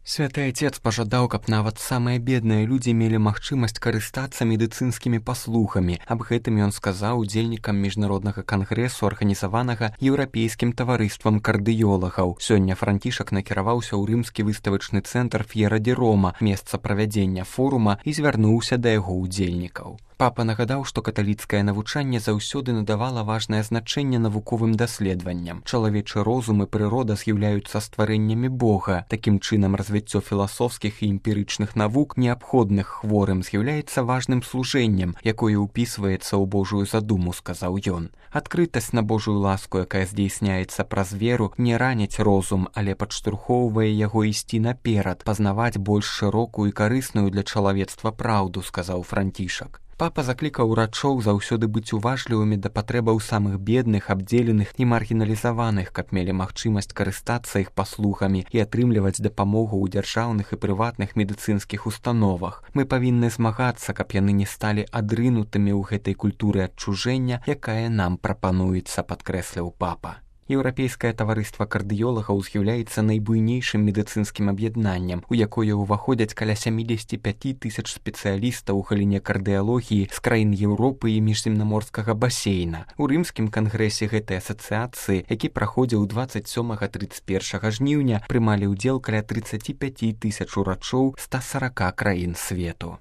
Святы Отец пажадаў, каб нават самыя бедныя людзі мелі магчымасць карыстацца медыцынскімі паслугамі. Аб гэтым ён сказаў удзельнікам міжнароднага кангрэсу, арганізаванага еўрапейскім таварыствам кардыёлагаў. Сёння Францішак накіраваўся ў рымскі выставачны цэнтр Ф'ера ді Рома, месца правядзення форума, і звярнуўся да яго удзельнікаў. Папа нагадаў, што каталіцкае навучанне заўсёды надавала важнае значэнне навуковым даследаванням. Чалавечы розум і прырода з'яўляюцца стварэннямі Бога. Такім чынам, развіццё філасофскіх і эмпірычных навук, неабходных хворым, з'яўляецца важным служэннем, якое ўпісваецца ў Божую задуму, сказаў ён. Адкрытасць на Божую ласку, якая здзейсняецца праз веру, не раніць розум, але падштурхоўвае яго ісці наперад, пазнаваць больш шырокую і карысную для чалавецтва праўду, сказаў Францішак. Папа заклікаў урачоў заўсёды быць уважлівымі да патрэбаў самых бедных, абдзеленых і маргіналізаваных, каб мелі магчымасць карыстацца іх паслугамі і атрымліваць дапамогу ў дзяржаўных і прыватных медыцынскіх установах. Мы павінны змагацца, каб яны не сталі адрынутымі ў гэтай культуры адчужэння, якая нам прапануецца, падкрэсліў папа. Еўрапейскае таварыства кардыёлагаў з'яўляецца найбуйнейшым медыцынскім аб'яднаннем, у якое ўваходзяць каля 75 000 спецыялістаў у галіне кардыялогіі з краін Еўропы і міжземнаморскага басейна. У рымскім кангрэсе гэтай асацыяцыі, які праходзіў 27-31 жніўня, прымалі ўдзел каля 35 000 урачоў 140 краін свету.